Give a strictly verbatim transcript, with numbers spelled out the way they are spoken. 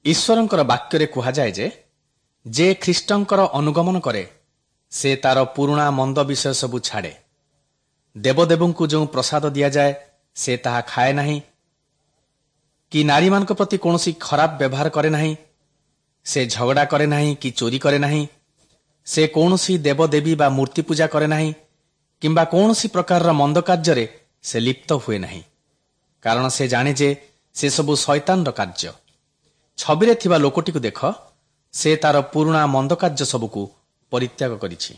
ଈଶ୍ୱରଙ୍କର ବାକ୍ୟରେ କୁହାଯାଏ ଯେ ଯେ ଖ୍ରୀଷ୍ଟଙ୍କର ଅନୁଗମନ କରେ ସେ ତାର ପୁରୁଣା ମନ୍ଦ ବିଷୟ ସବୁ ଛାଡ଼େ ଦେବଦେବଙ୍କୁ ଯେଉଁ ପ୍ରସାଦ ଦିଆଯାଏ ସେ ତାହା ଖାଏ ନାହିଁ କି ନାରୀମାନଙ୍କ ପ୍ରତି କୌଣସି ଖରାପ ବ୍ୟବହାର କରେ ନାହିଁ ସେ ଝଗଡ଼ା କରେ ନାହିଁ କି ଚୋରି କରେ ନାହିଁ ସେ କୌଣସି ଦେବଦେବୀ ବା ମୂର୍ତ୍ତି ପୂଜା କରେ ନାହିଁ କିମ୍ବା କୌଣସି ପ୍ରକାରର ମନ୍ଦ କାର୍ଯ୍ୟରେ ସେ ଲିପ୍ତ ହୁଏ ନାହିଁ କାରଣ ସେ ଜାଣେ ଯେ ସେସବୁ ଶୈତାନର କାର୍ଯ୍ୟ ଛବିରେ ଥିବା ଲୋକଟିକୁ ଦେଖ ସେ ତାର ପୁରୁଣା ମନ୍ଦ କାର୍ଯ୍ୟ ସବୁକୁ ପରିତ୍ୟାଗ କରିଛି